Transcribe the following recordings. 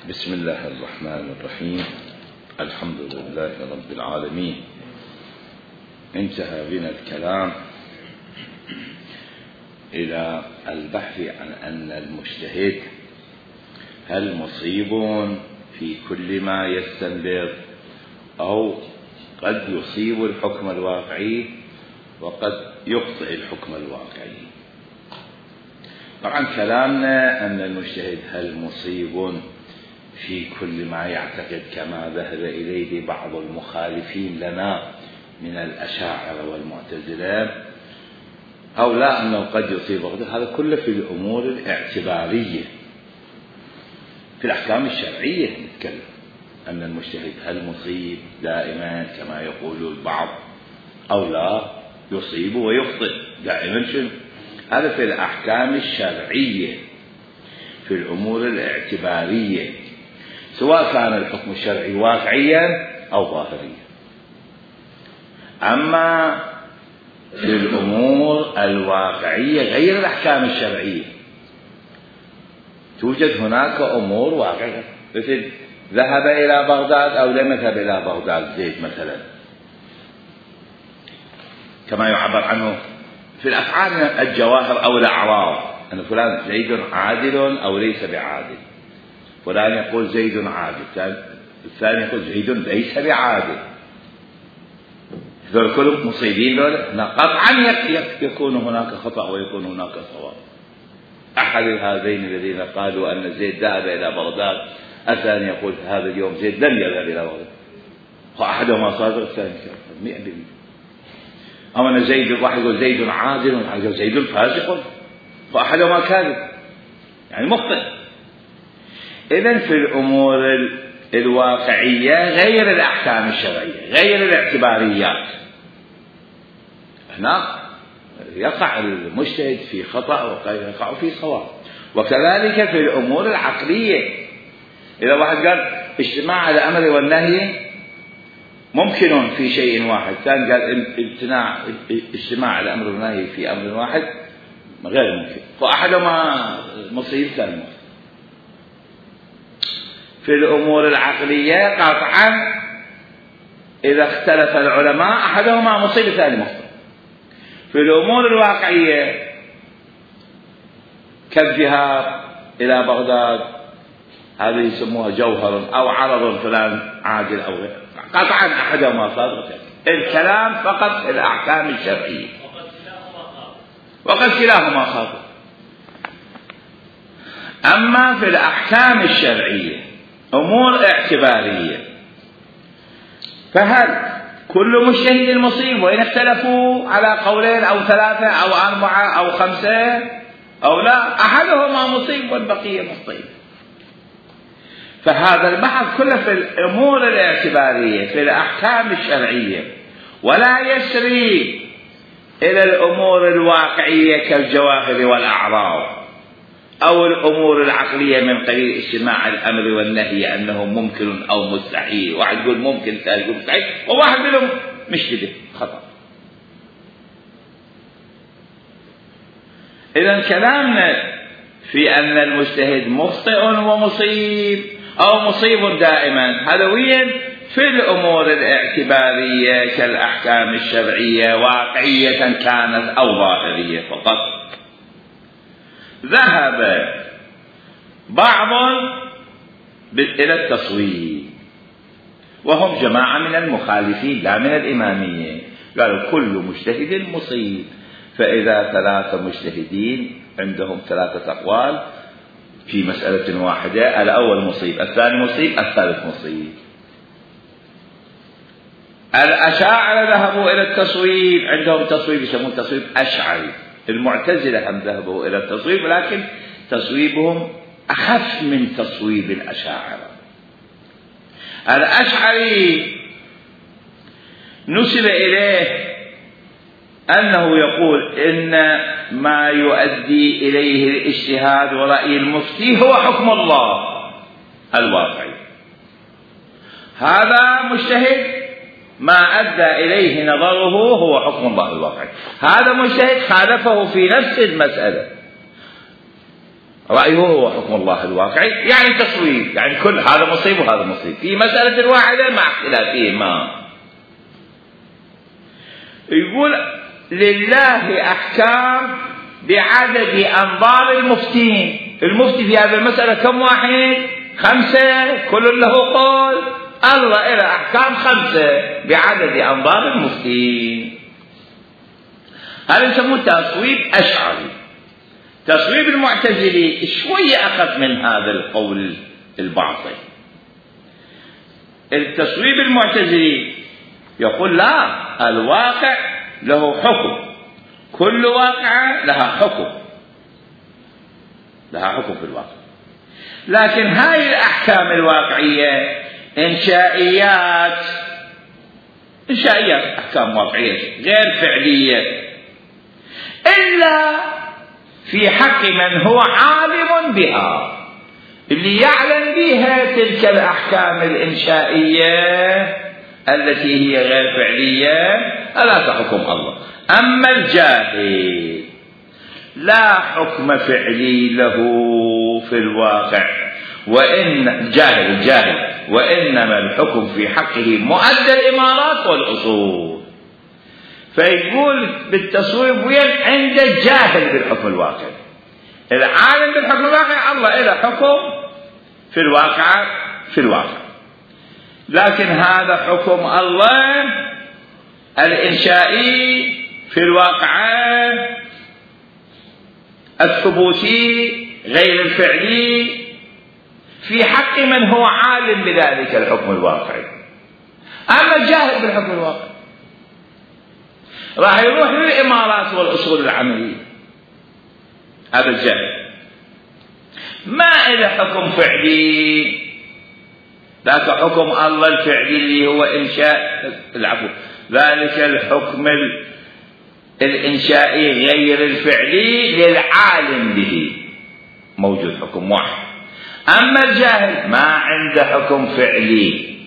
بسم الله الرحمن الرحيم. الحمد لله رب العالمين. انتهى بنا الكلام إلى البحث عن أن المجتهد هل مصيب في كل ما يستنبط أو قد يصيب الحكم الواقعي وقد يخطئ الحكم الواقعي. طبعا كلامنا أن المجتهد هل مصيب في كل ما يعتقد كما ذهب إليه بعض المخالفين لنا من الأشاعرة والمعتزلة أو لا أنه قد يصيب، هذا كله في الأمور الاعتبارية. في الأحكام الشرعية نتكلم أن المجتهد هل مصيب دائما كما يقول البعض أو لا يصيب ويخطئ دائما. شنو هذا؟ في الأحكام الشرعية في الأمور الاعتبارية، سواء كان الحكم الشرعي واقعيا أو ظاهريا. أما في الأمور الواقعية غير الأحكام الشرعية توجد هناك أمور واقعية، مثل ذهب إلى بغداد أو لم يذهب إلى بغداد زيد مثلا، كما يعبر عنه في الأفعال الجواهر أو الأعراض أن فلان زيد عادل أو ليس بعادل. فلان يقول زيد عادل، الثاني يقول زيد ليس بعادل. ذول كلهم مصيبين، قطعا يكون هناك خطأ ويكون هناك صواب. أحد هذين الذين قالوا أن زيد ذهب إلى بغداد، الثاني يقول هذا اليوم زيد لم يذهب إلى بغداد، وأحدهما صادق الثاني 100%. أو أن زيد، واحد يقول زيد عادل وواحد يقول زيد فاسق، فأحدهما كاذب يعني مخطئ. إذن في الأمور الواقعية غير الأحكام الشرعية غير الاعتباريات، هناك يقع المجتهد في خطأ ويقع في صواب. وكذلك في الأمور العقلية، إذا واحد قال اجتماع الأمر والنهي ممكن في شيء واحد، ثاني قال اجتماع الأمر والنهي في أمر واحد غير ممكن، فأحدهما مصيب ثاني مصيب. في الأمور العقلية قطعا إذا اختلف العلماء أحدهما مصيب ثاني مخطئ. في الأمور الواقعية كالذهاب إلى بغداد، هذه يسموها جوهر أو عرض فلان عاجل أو غير، قطعا أحدهما صادق. الكلام فقط الأحكام الشرعية وقد كلاهما خاطئ. أما في الأحكام الشرعية أمور اعتبارية، فهل كل مجتهد مصيب وإن اختلفوا على قولين أو 3 أو 4 أو 5 أو لا، أحدهما مصيب والبقية مخطئ. فهذا البحث كله في الأمور الاعتبارية في الأحكام الشرعية، ولا يسري إلى الأمور الواقعية كالجواهر والأعراض أو الأمور العقلية من قبيل اجتماع الأمر والنهي أنه ممكن أو مستحيل. واحد يقول ممكن، ثاني يقول مستحيل، وواحد منهم مش كده خطأ. إذن كلامنا في أن المجتهد مخطئ ومصيب أو مصيب دائما هذا وين؟ في الأمور الاعتبارية كالأحكام الشرعية واقعية كانت أو ظاهرية فقط. ذهب بعض إلى التصويب وهم جماعة من المخالفين لا من الإمامية، قالوا كل مجتهد مصيب. فإذا 3 مجتهدين عندهم 3 أقوال في مسألة واحدة، الأول مصيب، الثاني مصيب، الثالث مصيب. الأشاعرة ذهبوا إلى التصويب، عندهم تصويب يسمون تصويب أشعري. المعتزلة هم ذهبوا إلى التصويب، لكن تصويبهم أخف من تصويب الأشاعرة. الأشعري نسب إليه أنه يقول إن ما يؤدي إليه الاجتهاد ورأي المفتي هو حكم الله الواقعي. هذا مجتهد ما أدى إليه نظره هو حكم الله الواقعي. هذا مجتهد خالفه في نفس المسألة، رأيه هو حكم الله الواقعي، يعني تصويب، يعني كل هذا مصيب وهذا مصيب في مسألة واحدة مع اختلافهما. يقول لله أحكام بعدد أنظار المفتين. المفتي في هذه المسألة كم واحد؟ 5، كل له قول. الله إلى أحكام 5 بعدد أنظار المفتين. هذا يسموه تصويب أشعري. تصويب المعتزلي شوية أخف من هذا القول الباطل. التصويب المعتزلي يقول لا، الواقع له حكم، كل واقعة لها حكم، لها حكم في الواقع، لكن هاي الأحكام الواقعية إنشائيات، أحكام واقعية غير فعلية، إلا في حق من هو عالم بها، اللي يعلم بها تلك الأحكام الإنشائية التي هي غير فعلية ألا تحكم الله. أما الجاهل لا حكم فعلي له في الواقع، وإن جاهل وإنما الحكم في حقه مؤدى الإمارات والأصول. فيقول بالتصويب وين؟ عند الجاهل بالحكم الواقعي. العالم بالحكم الواقعي الله إله حكم في الواقع، لكن هذا حكم الله الإنشائي في الواقع الثبوتي غير الفعلي في حق من هو عالم بذلك الحكم الواقعي. أما الجاهل بالحكم الواقعي راح يروح للإمارات والأصول العملية. هذا الجاهل ما إله حكم فعلي، ذاك حكم الله الفعلي اللي هو إنشاء ذلك الحكم الإنشائي غير الفعلي للعالم به موجود حكم واحد. أما الجاهل ما عنده حكم فعلي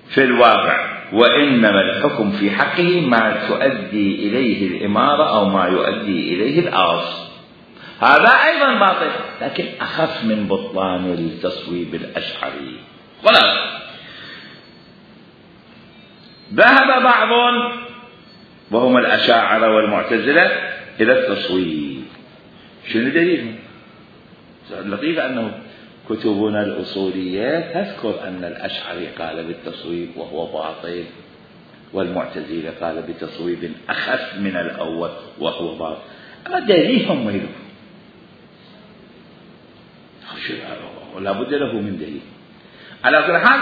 في الواقع، وإنما الحكم في حقه ما تؤدي إليه الإمارة أو ما يؤدي إليه الأصل. هذا أيضا باطل، لكن أخف من بطلان التصويب الأشعري. خلاص، ذهب بعض وهم الأشاعرة والمعتزلة إلى التصويب. شنو دليلهم؟ اللطيف أنه كتبنا الأصولية تذكر أن الأشعري قال بالتصويب وهو باطل، والمعتزلة قال بتصويب أخف من الأول وهو باطل. أما دليلهم وينه؟ لا بد له من دليل. على كل حال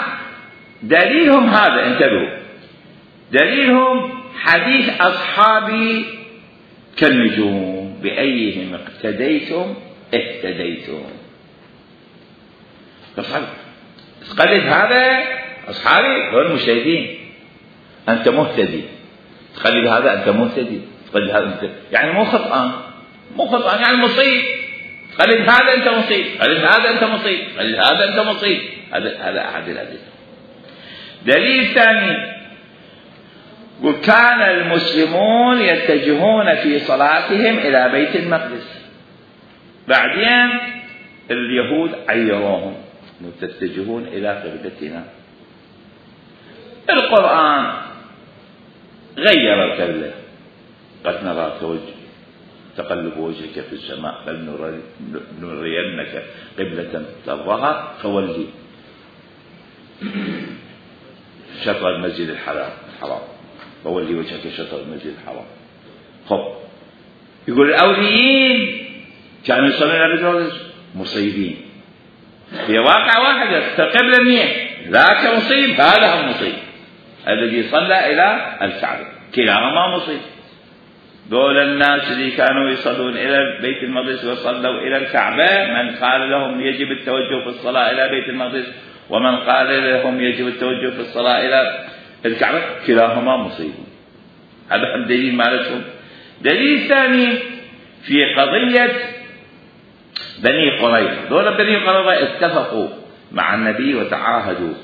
دليلهم هذا، انتبهوا، دليلهم حديث أصحابي كالنجوم بأيهم اقتديتم اهتديتم. تقلد هذا أصحابي هو المجتهدين، أنت مهتدي. تقلد هذا أنت مهتدي، تقلد هذا أنت يعني مو خطأ يعني مصيب. تقلد هذا أنت مصيب، تقلد هذا أنت مصيب، تقلد هذا أنت مصيب. هذا أحد الأدلة. دليل ثاني، وكان المسلمون يتجهون في صلاتهم إلى بيت المقدس، بعدين اليهود عيروهم تتجهون إلى قبلتنا. القرآن غير القبلة، قد نراك تقلب وجهك في السماء فلنرينك قبلة ترضاها فولي شطر المسجد الحرام فولي وجهك شطر المسجد الحرام. خب، يقول الأوليين كانوا يصلون إلى بيت المقدس مصيبين، في واقع واحد القبلة منيح، ذاك مصيب هذا هم مصيب. الذي صلى إلى الكعبة كلاهما مصيب. دول الناس اللي كانوا يصلون إلى بيت المقدس وصلوا إلى الكعبة، من قال لهم يجب التوجه في الصلاة إلى بيت المقدس ومن قال لهم يجب التوجه في الصلاة إلى الكعبة، كلاهما مصيب. هذا الدليل مالتهم. دليل ثاني في قضية بني قريظة. دول بني قريظة اتفقوا مع النبي وتعاهدوا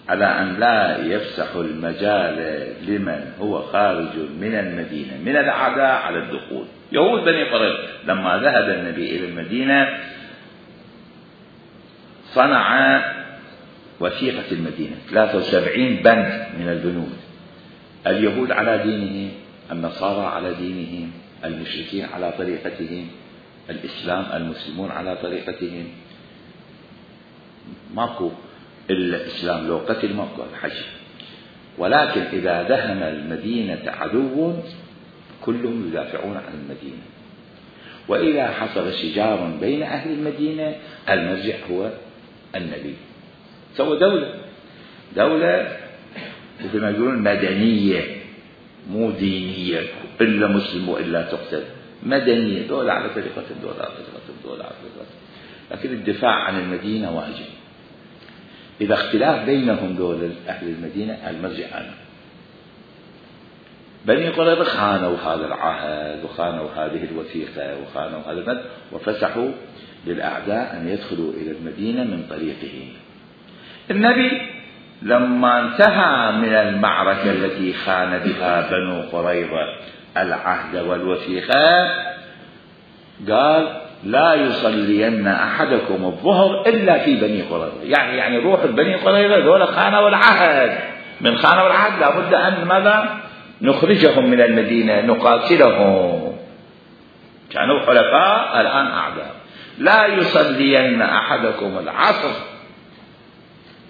على أن لا يفسح المجال لمن هو خارج من المدينة من الأعداء على الدخول. يهود بني قريظة لما ذهب النبي إلى المدينة صنع وثيقة المدينة 73 بند من البنود، اليهود على دينهم، النصارى على دينهم، المشركين على طريقتهم، الإسلام المسلمون على طريقتهم. ماكو الإسلام لو قتل ماكو الحج. ولكن إذا دهم المدينة عدو كلهم يدافعون عن المدينة. وإذا حصل شجار بين أهل المدينة المرجع هو النبي. سوى دولة مثل ما يقولون مدنية مو دينية إلا مسلم وإلا تقتل، مدنية، دولة على طريقة دولة على طريقة. لكن الدفاع عن المدينة واجب. إذا اختلاف بينهم دول أهل المدينة المرجع أنا. بني قريظة خانوا هذا العهد وخانوا هذه الوثيقة وخانوا هذا البند وفسحوا للأعداء أن يدخلوا إلى المدينة من طريقه. النبي لما انتهى من المعركة التي خان بها بنو قريظة العهد والوثيقة قال لا يصلين أحدكم الظهر إلا في بني قريظة. يعني روح بني قريظة ذولا خانوا العهد، من خانوا العهد لابد أن ماذا نخرجهم من المدينة نقاتلهم، كانوا حلفاء الآن أعداء. لا يصلين أحدكم العصر،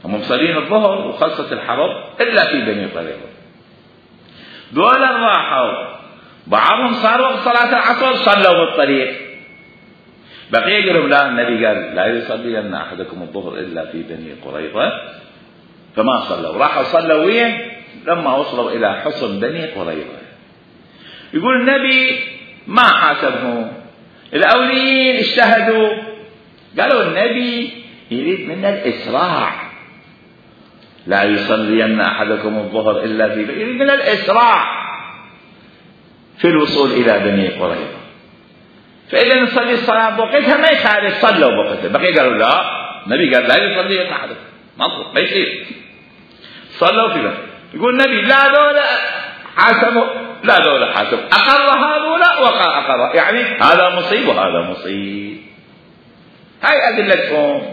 هم مصلين الظهر وخلصت الحرب إلا في بني قريظة. ذولا راحوا بعضهم صار وقت صلاة العصر صلوا بالطريق، بقية قالوا لا، النبي قال لا يصلين أحدكم الظهر إلا في بني قريظة، فما صلوا. راحوا صلوا وين؟ لما وصلوا إلى حصن بني قريظة. يقول النبي ما حاسبهم، الأولين اجتهدوا، قالوا النبي يريد منا الإسراع، لا يصلين أحدكم الظهر إلا في بني، يريد منا الإسراع في الوصول إلى بني قريظة. فإذا نصلي الصلاة بوقتها ما يخالف، صلوا بوقتها. بقية قالوا لا، النبي قال لا يصلين أحدكم، ما يصير، صلوا في بني. يقول النبي لا دولة حاسبوا، لا دولة حاسبوا، أقر هذولا وقع أقر، يعني هذا مصيب وهذا مصيب. هاي أدلتهم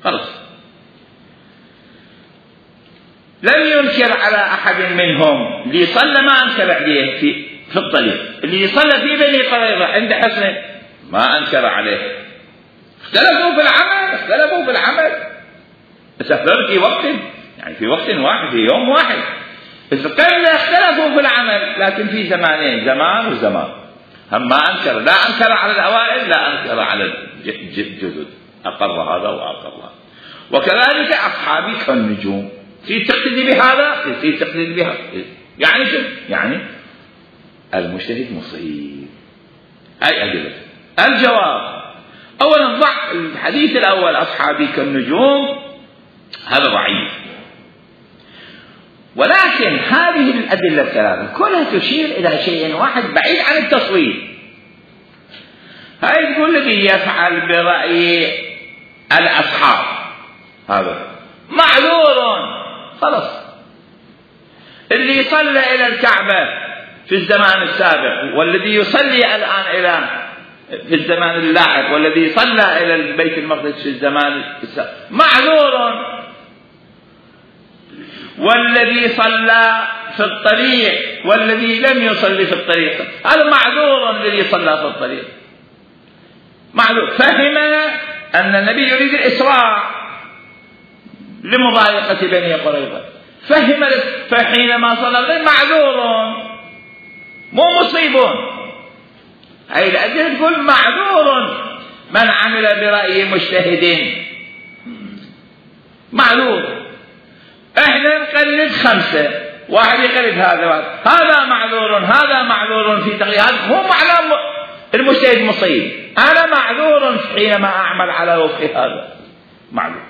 خلص. لم ينكر على أحد منهم، اللي صلى ما أنكر عليه في الطريق، اللي صلى في بني قريظة عند حصن ما أنكر عليه. اختلفوا في العمل استخدموا في وقت، يعني في وقت واحد، في يوم واحد، بس قلنا اختلفوا في العمل، لكن في زمانين، زمان وزمان. هم ما أنكر، لا أنكر على الأوائل لا أنكر على الجدد، أقر هذا وأقر هذا. وكذلك أصحابي كالنجوم، في تقتدي بهذا في تقتدي بهذا. يعني شو؟ يعني المجتهد مصيب. أي أدلة؟ الجواب أولا ضع الحديث الأول أصحابي كالنجوم هذا ضعيف، ولكن هذه الأدلة الثلاثة كلها تشير إلى شيء واحد بعيد عن التصوير. هاي تقول الذي يفعل برأي الأصحاب هذا معذور خلاص. اللي يصلى إلى الكعبة في الزمان السابق والذي يصلي الآن إلى في الزمان اللاحق والذي صلى إلى البيت المقدس في الزمان السابق معذور، والذي صلى في الطريق والذي لم يصلي في الطريق هذا معذور. الذي صلى في الطريق معذور، فهم أن النبي يريد الإسراع لمضايقة بني قريظة، فهم، فحينما صلى معذور مو مصيب. هاي الأدلة تقول معذور من عمل برأي مجتهد معذور. احنا نقلد 5، واحد يقلد هذا معذور، هذا معذور في تقليد، هذا هو معنى المجتهد مصيب. انا معذور حينما اعمل على وفق هذا، معذور.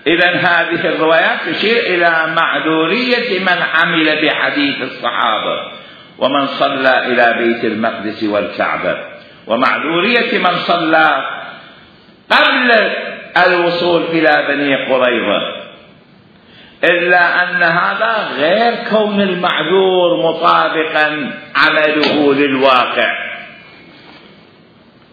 إذن هذه الروايات تشير إلى معذورية من عمل بحديث الصحابة ومن صلى إلى بيت المقدس والكعبة، ومعذورية من صلى قبل الوصول إلى بني قريظة، إلا أن هذا غير كون المعذور مطابقا عمله للواقع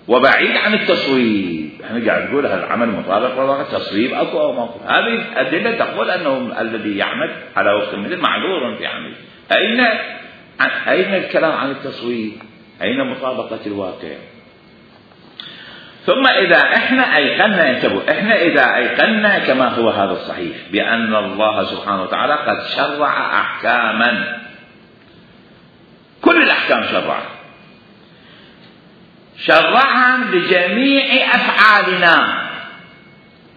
وبعيد عن التصويب. احنا قاعد نقول هذا العمل مطابق للواقع، تصويب اكو او ماكو. هذه الأدلة تقول أنه الذي يعمل على وفق المثل معذور في عمله. أين الكلام عن التصويب؟ أين مطابقة الواقع؟ ثم إذا احنا أيقنا، انتبهوا، احنا إذا أيقنا كما هو هذا الصحيح بأن الله سبحانه وتعالى قد شرع أحكاما، كل الأحكام شرعها لجميع أفعالنا،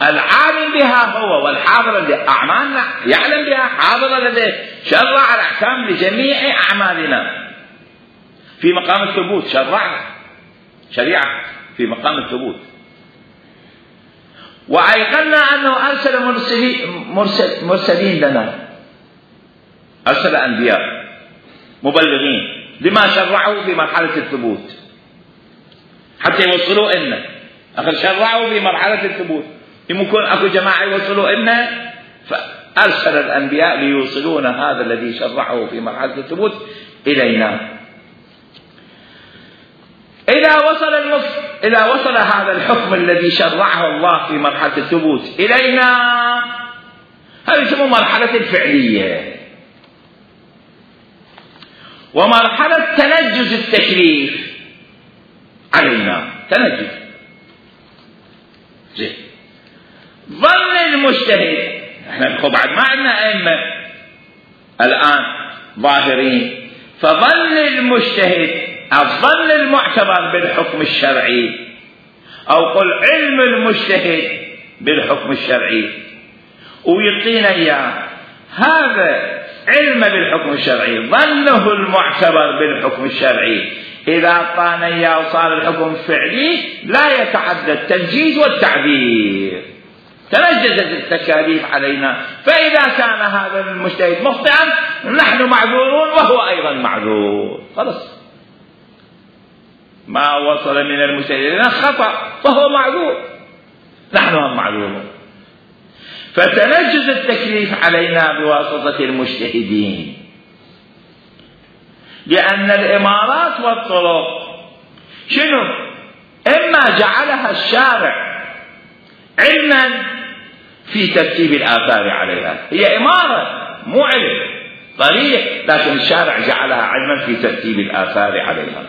العالم بها هو والحاضر لأعمالنا، يعلم بها حاضر لديه، شرع الأحكام لجميع أعمالنا في مقام الثبوت، شرع شريعة في مقام الثبوت. وأيقنا أنه أرسل مرسلين لنا، أرسل أنبياء مبلغين لما شرعوا في مرحلة الثبوت حتى يوصلوا إلنا. أخذ شرعوا في مرحلة الثبوت، يمكن أكو جماعة يوصلوا إلنا، فأرسل الأنبياء ليوصلون هذا الذي شرعه في مرحلة الثبوت إلينا. إذا وصل هذا الحكم الذي شرعه الله في مرحلة الثبوت إلينا، هذه تسمى مرحلة الفعلية، ومرحلة تنجز التكليف علينا، تنجز. زين، ظن المجتهد، احنا بعد ما عندنا أئمة الآن ظاهرين، فظن المجتهد الظن المعتبر بالحكم الشرعي، أو قل علم المجتهد بالحكم الشرعي، ويعطينا إياه هذا علم بالحكم الشرعي، ظنه المعتبر بالحكم الشرعي، إذا أعطانا إياه وصار الحكم فعلي لا يتعدى التنجيز والتعبير، تنجزت التكاليف علينا. فإذا كان هذا المجتهد مخطئا نحن معذورون وهو أيضا معذور، خلص ما وصل من المجتهد إلينا خطأ فهو معذور، نحن هم معذورون. فتنجز التكليف علينا بواسطة المجتهدين، لأن الإمارات والطرق شنو؟ إما جعلها الشارع علما في ترتيب الآثار عليها، هي إمارة مو علم طريق، لكن الشارع جعلها علما في ترتيب الآثار عليها.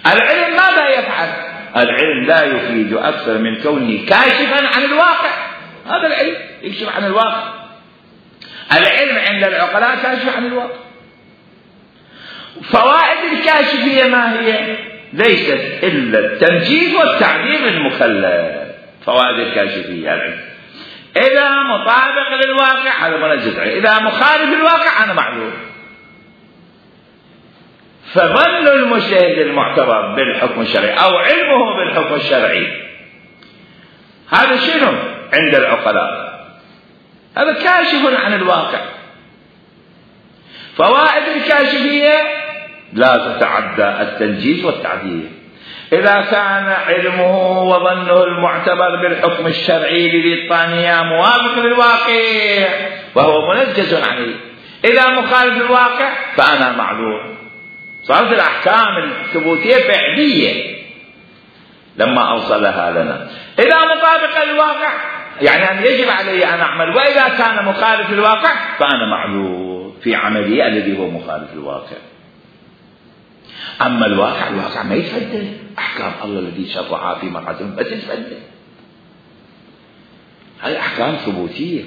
العلم ماذا يفعل؟ العلم لا يفيد أكثر من كونه كاشفا عن الواقع، هذا العلم يكشف عن الواقع. العلم عند العقلاء كاشف عن الواقع. فوائد الكاشفية ما هي؟ ليست إلا التنجيز والتعبير المكلف. فوائد الكاشفية العلم إذا مطابق للواقع هذا منجز عليه، إذا مخالف للواقع أنا معذور. فظن المجتهد المعتبر بالحكم الشرعي أو علمه بالحكم الشرعي هذا شنو عند العقلاء؟ هذا كاشف عن الواقع. فوائد الكاشفية لا تتعدى التنجيز والتعبير. إذا كان علمه وظنه المعتبر بالحكم الشرعي للطانية موافق للواقع وهو منجز عليه، إذا مخالف للواقع فأنا معذور. صارت الأحكام الثبوتية فعلية لما أوصلها لنا. إذا مطابق للواقع يعني أن يجب علي أن أعمل، وإذا كان مخالف للواقع فأنا معذور في عملي الذي هو مخالف للواقع. أما الواقع ما يتفدى، أحكام الله الذي شرعها في مرحلة ما تتفدى، هذه أحكام ثبوتية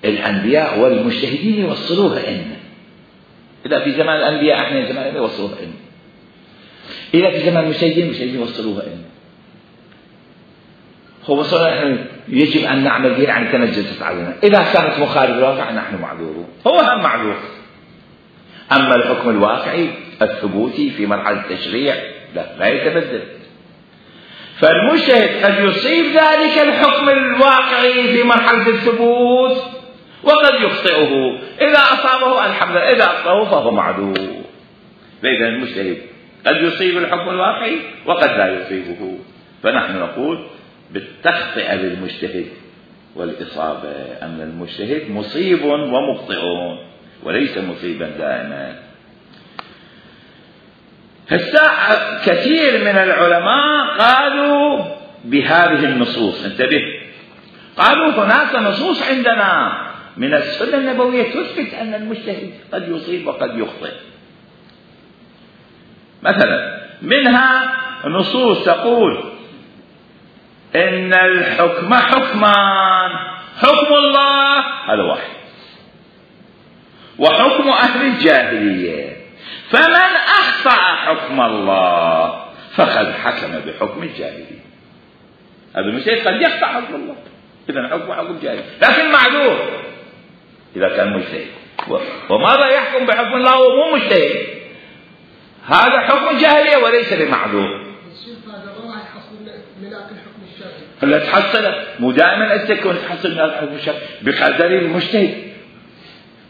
الأنبياء والمجتهدين يوصلوها لنا. إذا في زمان الأنبياء احنا زمان الأنبياء يوصلوها لنا، إذا في زمان المجتهدين يوصلوها لنا. هو وصلنا احنا يجب أن نعمل بها يعني تنجزت علينا. إذا كانت مخالف الواقع نحن معذورون، هو هم معذور. أما الحكم الواقعي الثبوتي في مرحلة التشريع لا يتبدل. فالمجتهد قد يصيب ذلك الحكم الواقعي في مرحلة الثبوت وقد يخطئه، إذا أصابه الحمد لله، إذا أخطأه فهو معذور. فإذا المجتهد قد يصيب الحكم الواقعي وقد لا يصيبه. فنحن نقول بالتخطئة للمجتهد والإصابة، أن المجتهد مصيب ومخطئ وليس مصيبا دائما. الساعة كثير من العلماء قالوا بهذه النصوص، انتبه، قالوا هناك نصوص عندنا من السنة النبوية تثبت أن المجتهد قد يصيب وقد يخطئ. مثلا منها نصوص تقول إن الحكم حكمان، حكم الله هذا واحد، وحكم أهل الجاهلية، فمن أخطأ حكم الله فقد حكم بحكم الجاهلية. هذا المجتهد قد يخطأ حكم الله، إذا حكم جاهلي، لكن معذور إذا كان مجتهد. وماذا يحكم بحكم الله وهو مجتهد؟ هذا حكم جاهلية وليس بمعذور. لا تحصل، مو دائما تكون تحصل من الحكم الشرعي بقدر المجتهد،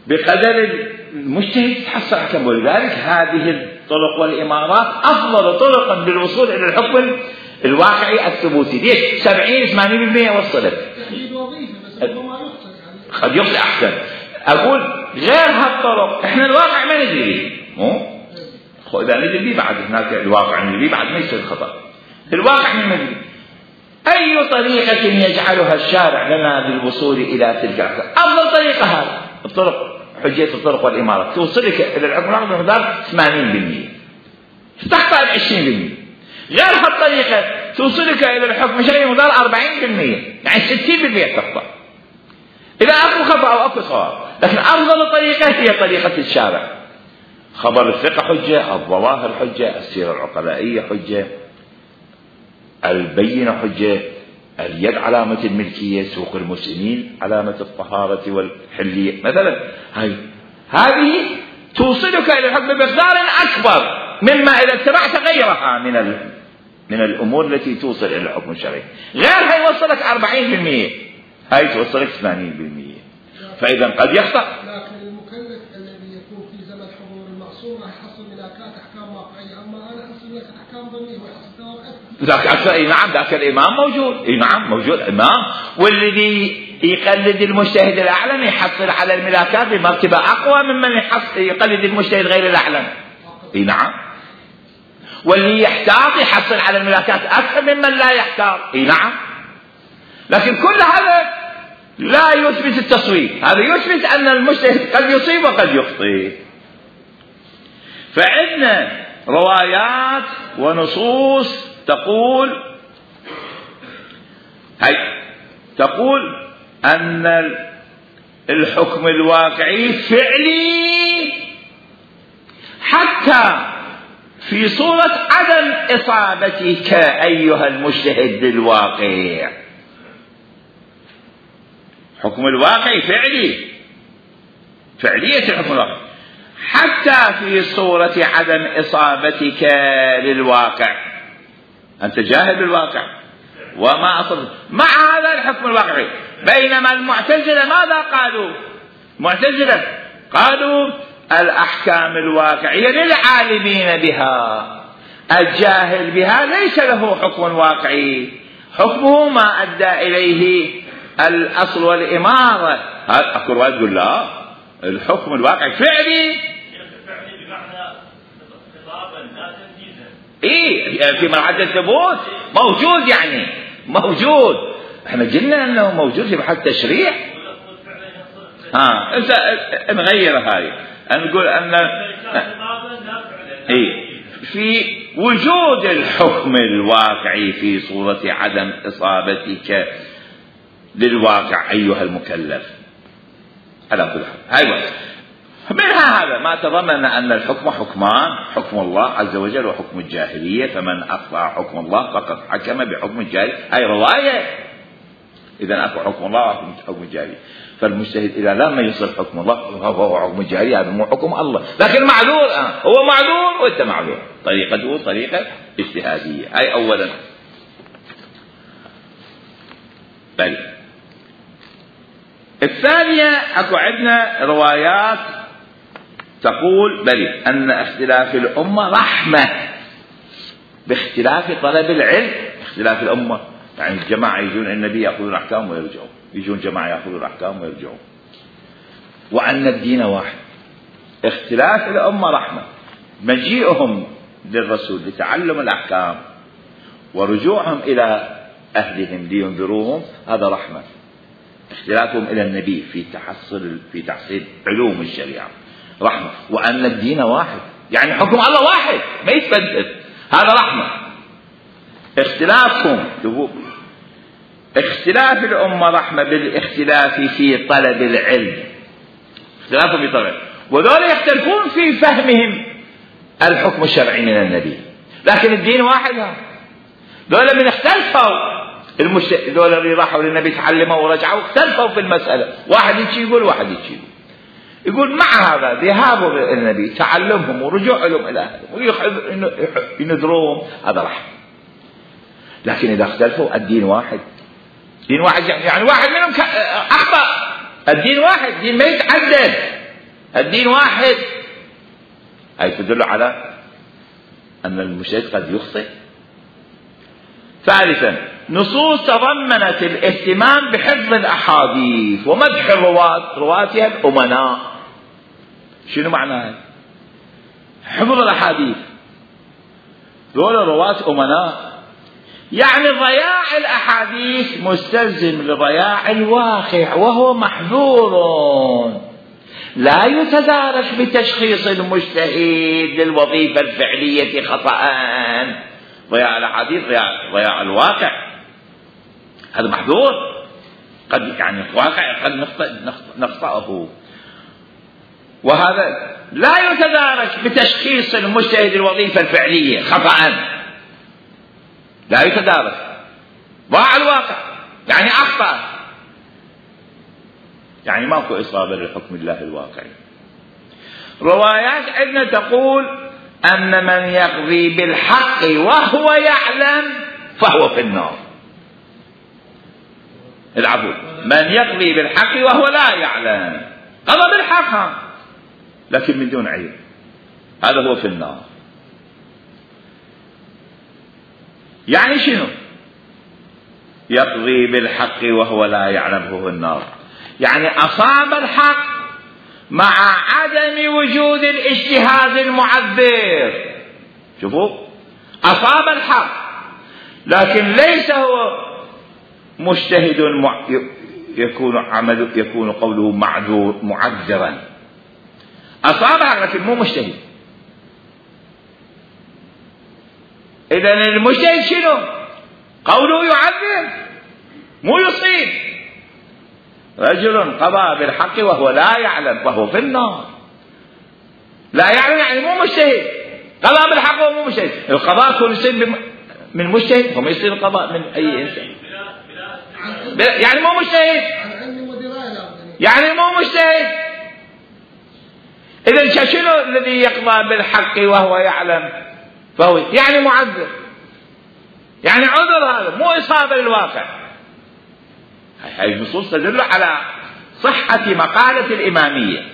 بقدر المجتهد تحصل حكم. ولذلك هذه الطرق والإمارات أفضل طرقا للوصول إلى الحكم الواقعي الثبوتي. ليش 70-80% وصلت؟ قد يخطئ أحسن. أقول غير هالطرق إحنا الواقع ما ندري به، مو إذا ندري به بعد هناك الواقع ندري بعد ما يصير خطأ. الواقع ما ندري أي طريقة يجعلها الشارع لنا للوصول إلى تلك الأحكام. أفضل طريقة هذا الطرق، حجية الطرق والإمارات توصلك إلى الحكم بمقدار 80%، تخطأ 20%. غير هالطريقة توصلك إلى الحكم الشرعي بمقدار 40%، يعني 60% تخطأ إذا أكو خطأ أو أكو صواب. لكن أفضل طريقة هي طريقة الشارع. خبر الثقة حجة، الظواهر حجة، السيرة العقلائية حجة، البينة حجة، اليد علامة الملكية، سوق المسلمين علامة الطهارة والحلية مثلا. هذه توصلك إلى الحكم بمقدار أكبر مما إذا اتبعت غيرها من الأمور التي توصل إلى الحكم الشرعي. غيرها يوصلك 40%، هاي توصلك 80%. فإذا قد يخطأ. لكن المكلف الذي يكون في زمن حضور المعصوم راح يحصل ملاكات أحكام واقعية، أما أنا أحصل لك أحكام ظنية ويحصل ثواب أكثر. ذاك نعم، ذاك الإمام موجود، نعم موجود إمام، والذي يقلد المجتهد الأعلم يحصل على الملاكات بمرتبة أقوى ممن يقلد المجتهد غير الأعلم. نعم، واللي يحتاط يحصل على الملاكات أكثر ممن لا يحتاط. نعم، لكن كل هذا لا يثبت التصويب، هذا يثبت أن المجتهد قد يصيب وقد يخطئ. فعندنا روايات ونصوص تقول أن الحكم الواقعي فعلي حتى في صورة عدم إصابتك أيها المجتهد بالواقع. حكم الواقع فعلي، فعلية الحكم الواقع حتى في صورة عدم إصابتك للواقع، أنت جاهل بالواقع وما أصبت مع هذا الحكم الواقعي. بينما المعتزلة ماذا قالوا؟ المعتزلة قالوا الأحكام الواقعية للعالمين بها، الجاهل بها ليس له حكم واقعي، حكمه ما أدى إليه الأصل والإمارة. هذا أكو رواية تقول لا، الحكم الواقعي فعلي بمعنى خطابا لا تنفيذا. في مرحلة الثبوت موجود، يعني موجود. احنا قلنا انه موجود في محل تشريع. انت نغير هاي، نقول ان في وجود الحكم الواقعي في صورة عدم إصابتك للواقع أيها المكلف على كل حال. هاي منها هذا ما تضمن أن الحكم حكمان، حكم الله عز وجل وحكم الجاهلية، فمن أخطأ حكم الله فقد حكم بحكم الجاهلية. هاي رواية. إذا أكو حكم الله وحكم الجاهلية، فالمجتهد إذا لم يصل حكم الله فهو حكم الجاهلية، هذا مو حكم الله. لكن معذور، هو معذور وأنت معذور، طريقته طريقة اجتهادية. هاي أولا. بل الثانية أكو عندنا روايات تقول بل أن اختلاف الأمة رحمة باختلاف طلب العلم. اختلاف الأمة يعني الجماعة يجون النبي يأخذون أحكام ويرجعون، يجون جماعة يأخذون أحكام ويرجعون. وأن الدين واحد، اختلاف الأمة رحمة، مجيئهم للرسول لتعلم الأحكام ورجوعهم إلى أهلهم لينذروهم هذا رحمة. اختلافهم إلى النبي في تحصيل علوم الشريعة رحمة. وأن الدين واحد، يعني حكم الله واحد ما يتبدل، هذا رحمة. اختلاف الأمة رحمة بالاختلاف في طلب العلم، اختلافهم في طلب، وذول يختلفون في فهمهم الحكم الشرعي من النبي، لكن الدين واحد. ذول من اختلفوا ذول اللي راحوا للنبي تعلموا ورجعوا اختلفوا في المسألة، واحد يجي يقول واحد يجي يقول مع هذا ذهابوا للنبي تعلمهم ورجوعهم إلى أهلهم وينذروهم هذا رحمة. لكن إذا اختلفوا الدين واحد، دين واحد يعني واحد منهم أخطأ، الدين واحد، دين ما يتعدد، الدين واحد. هذه تدل على أن المجتهد قد يخطئ. ثالثا نصوص تضمنت الاهتمام بحفظ الأحاديث ومدح رواتها الأمناء. شنو معناه حفظ الأحاديث؟ دول رواة أمناء، يعني ضياع الأحاديث مستلزم لضياع الواقع وهو محظور، لا يتدارك بتشخيص المجتهد للوظيفة الفعلية خطأ. ضياع الأحاديث ضياع الواقع، هذا محظور، قد يعني الواقع قد نخطئه، وهذا لا يتدارك بتشخيص المجتهد الوظيفة الفعلية خطأ، لا يتدارك، ضاع الواقع يعني أخطأ، يعني ماكو إصابة لحكم الله الواقعي. روايات عندنا تقول أن من يقضي بالحق وهو يعلم فهو في النار. العفو، من يقضي بالحق وهو لا يعلم، قضى بالحق لكن من دون علم، هذا هو في النار. يعني شنو يقضي بالحق وهو لا يعلم فهو النار؟ يعني أصاب الحق مع عدم وجود الاجتهاد المعبر. شوفوا، أصاب الحق لكن ليس هو مجتهد يكون قوله معذرا. أصابها لكن مو مجتهد. إذن المجتهد شنو؟ قوله يعذر مو يصيب. رجل قضى بالحق وهو لا يعلم فهو في النار. لا يعلم يعني مو مجتهد، قضى بالحق وهو مو مجتهد. القضاء يكون يصير من مجتهد وما يصير القضاء من أي إنسان، يعني مو مجتهد، يعني مو مجتهد. إذن شنو الذي يقضى بالحق وهو يعلم فهو يعني معذر، يعني عذر، هذا مو إصابة للواقع. هذه النصوص تدل على صحة مقالة الإمامية.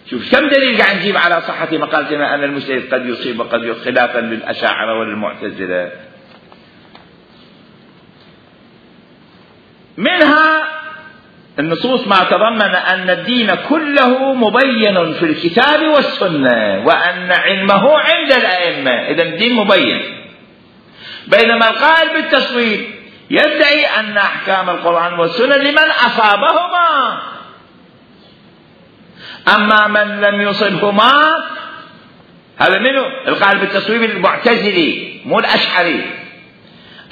شوف كم دليل قاعد نجيب على صحة مقالتنا أن المجتهد قد يصيب وقد يخطئ، خلافا للأشاعرة وللمعتزلة. منها النصوص ما تضمن أن الدين كله مبين في الكتاب والسنة وأن علمه عند الأئمة. إذا الدين مبين. بينما القائل بالتصويب يدعي أن أحكام القرآن والسنة لمن أصابهما، أما من لم يصبهما هذا منه القائل بالتصويب المعتزلي مو الأشعري.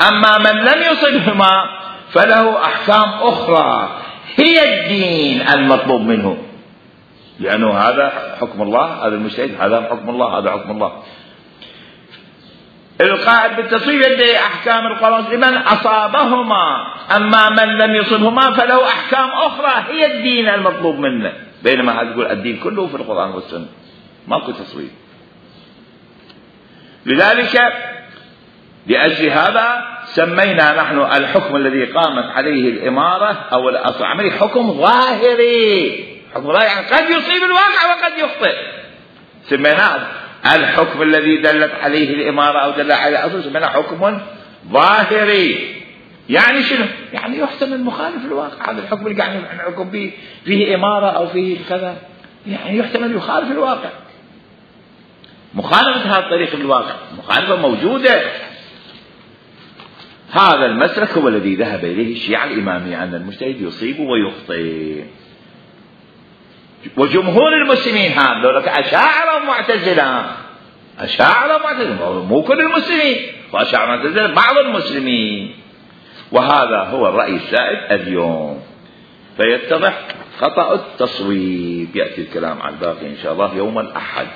أما من لم يصبهما فله أحكام أخرى هي الدين المطلوب منه، لأنه هذا حكم الله، هذا المجتهد هذا حكم الله، هذا حكم الله. القائل بالتصويب يدعي أحكام القرآن لمن أصابهما، أما من لم يصبهما فله أحكام أخرى هي الدين المطلوب منه. بينما هذا يقول الدين كله في القرآن والسنة، ماكو تصويب. لذلك لأجل هذا سمينا نحن الحكم الذي قامت عليه الإمارة أو العملية حكم ظاهري. حكم ظاهري يعني قد يصيب الواقع وقد يخطئ. سميناه الحكم الذي دلت عليه الإمارة أو دل عليه الأصل سميناه حكم ظاهري. يعني شنو؟ يعني يحتمل مخالف الواقع. هذا الحكم اللي قاعد نحكم به فيه إمارة أو فيه كذا، يعني يحتمل يخالف الواقع. مخالفة هذا الطريق للواقع مخالفة موجودة. هذا المسلك هو الذي ذهب إليه الشيعة الإمامية، أن المجتهد يصيب ويخطئ. وجمهور المسلمين هذول أشاعرة ومعتزلة، أشاعرة ومعتزلة، مو كل المسلمين، وأشاعرة ومعتزلة بعض المسلمين. وهذا هو الرأي السائد اليوم. فيتضح خطأ التصويب. يأتي الكلام عن الباقي إن شاء الله يوم الأحد.